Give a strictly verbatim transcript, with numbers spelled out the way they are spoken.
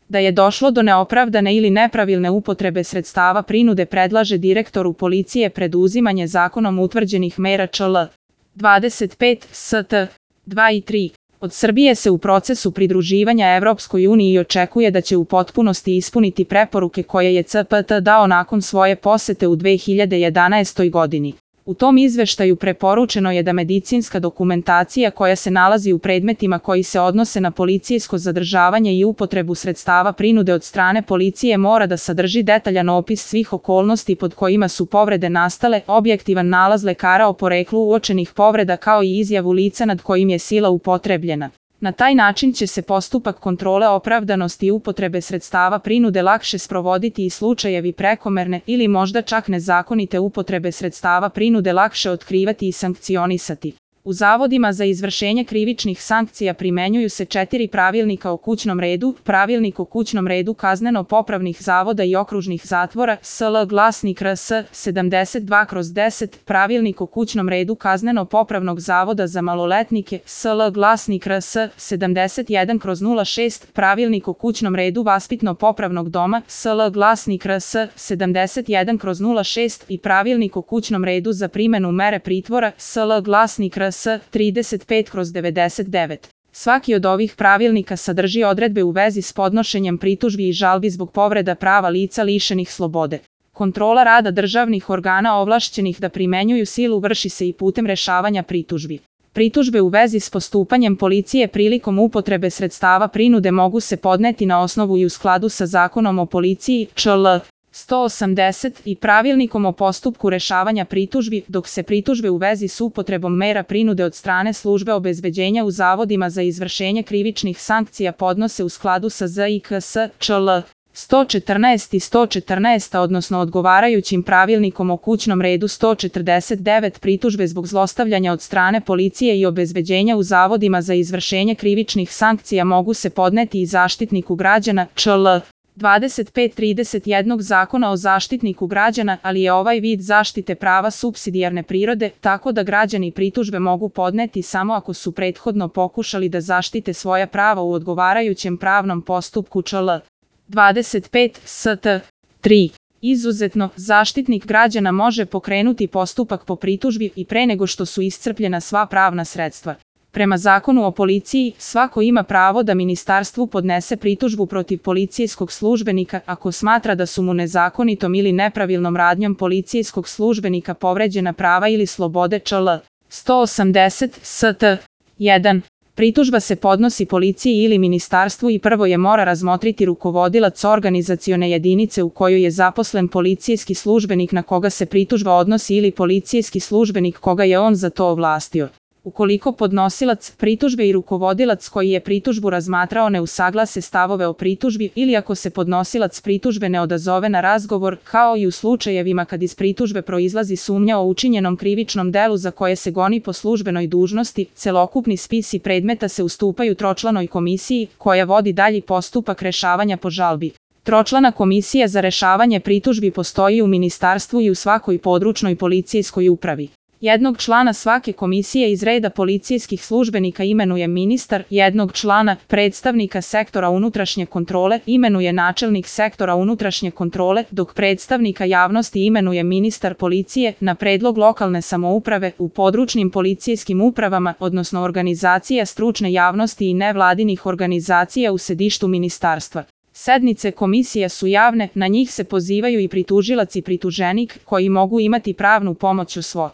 Da je došlo do neopravdane ili nepravilne upotrebe sredstava prinude predlaže direktoru policije preduzimanje zakonom utvrđenih mera čl. dvadeset pet st. dva i tri. Od Srbije se u procesu pridruživanja Evropskoj uniji očekuje da će u potpunosti ispuniti preporuke koje je C P T dao nakon svoje posete u dve hiljade jedanaestoj godini. U tom izveštaju preporučeno je da medicinska dokumentacija koja se nalazi u predmetima koji se odnose na policijsko zadržavanje i upotrebu sredstava prinude od strane policije mora da sadrži detaljan opis svih okolnosti pod kojima su povrede nastale, objektivan nalaz lekara o poreklu uočenih povreda kao i izjavu lica nad kojim je sila upotrebljena. Na taj način će se postupak kontrole opravdanosti i upotrebe sredstava prinude lakše sprovoditi i slučajevi prekomerne ili možda čak nezakonite upotrebe sredstava prinude lakše otkrivati i sankcionisati. U zavodima za izvršenje krivičnih sankcija primenjuju se četiri pravilnika o kućnom redu, pravilnik o kućnom redu kazneno-popravnih zavoda i okružnih zatvora, S L glasnik R S sedamdeset dva kroz deset, pravilnik o kućnom redu kazneno-popravnog zavoda za maloletnike, S L glasnik R S sedamdeset jedan kroz nula šest, pravilnik o kućnom redu vaspitno-popravnog doma, S L glasnik R S sedamdeset jedan kroz nula šest i pravilnik o kućnom redu za primenu mere pritvora, S L glasnik R S trideset pet kroz devedeset devet. Svaki od ovih pravilnika sadrži odredbe u vezi s podnošenjem pritužbi i žalbi zbog povreda prava lica lišenih slobode. Kontrola rada državnih organa ovlašćenih da primenjuju silu vrši se i putem rešavanja pritužbi. Pritužbe u vezi s postupanjem policije prilikom upotrebe sredstava prinude mogu se podneti na osnovu i u skladu sa Zakonom o policiji, čl. sto osamdeset i pravilnikom o postupku rešavanja pritužbi, dok se pritužbe u vezi s upotrebom mera prinude od strane službe obezbeđenja u zavodima za izvršenje krivičnih sankcija podnose u skladu sa Z I K S, čl. sto četrnaest i sto četrnaest, odnosno odgovarajućim pravilnikom o kućnom redu sto četrdeset devet. Pritužbe zbog zlostavljanja od strane policije i obezbeđenja u zavodima za izvršenje krivičnih sankcija mogu se podneti i Zaštitniku građana, čl. dvadeset pet trideset jedan Zakona o Zaštitniku građana, ali je ovaj vid zaštite prava supsidijarne prirode, tako da građani pritužbe mogu podneti samo ako su prethodno pokušali da zaštite svoja prava u odgovarajućem pravnom postupku, čl. dvadeset pet st. tri. Izuzetno, Zaštitnik građana može pokrenuti postupak po pritužbi i pre nego što su iscrpljena sva pravna sredstva. Prema Zakonu o policiji, svako ima pravo da ministarstvu podnese pritužbu protiv policijskog službenika ako smatra da su mu nezakonitom ili nepravilnom radnjom policijskog službenika povređena prava ili slobode, čl. sto osamdeset st. jedan. Pritužba se podnosi policiji ili ministarstvu i prvo je mora razmotriti rukovodilac organizacione jedinice u kojoj je zaposlen policijski službenik na koga se pritužba odnosi ili policijski službenik koga je on za to ovlastio. Ukoliko podnosilac pritužbe i rukovodilac koji je pritužbu razmatrao ne usaglase stavove o pritužbi ili ako se podnosilac pritužbe ne odazove na razgovor, kao i u slučajevima kad iz pritužbe proizlazi sumnja o učinjenom krivičnom delu za koje se goni po službenoj dužnosti, celokupni spisi predmeta se ustupaju tročlanoj komisiji koja vodi dalji postupak rešavanja po žalbi. Tročlana komisija za rešavanje pritužbi postoji u ministarstvu i u svakoj područnoj policijskoj upravi. Jednog člana svake komisije iz reda policijskih službenika imenuje ministar, jednog člana, predstavnika sektora unutrašnje kontrole, imenuje načelnik sektora unutrašnje kontrole, dok predstavnika javnosti imenuje ministar policije na predlog lokalne samouprave u područnim policijskim upravama, odnosno organizacija stručne javnosti i nevladinih organizacija u sedištu ministarstva. Sednice komisija su javne, na njih se pozivaju i pritužilac i prituženik koji mogu imati pravnu pomoć u svo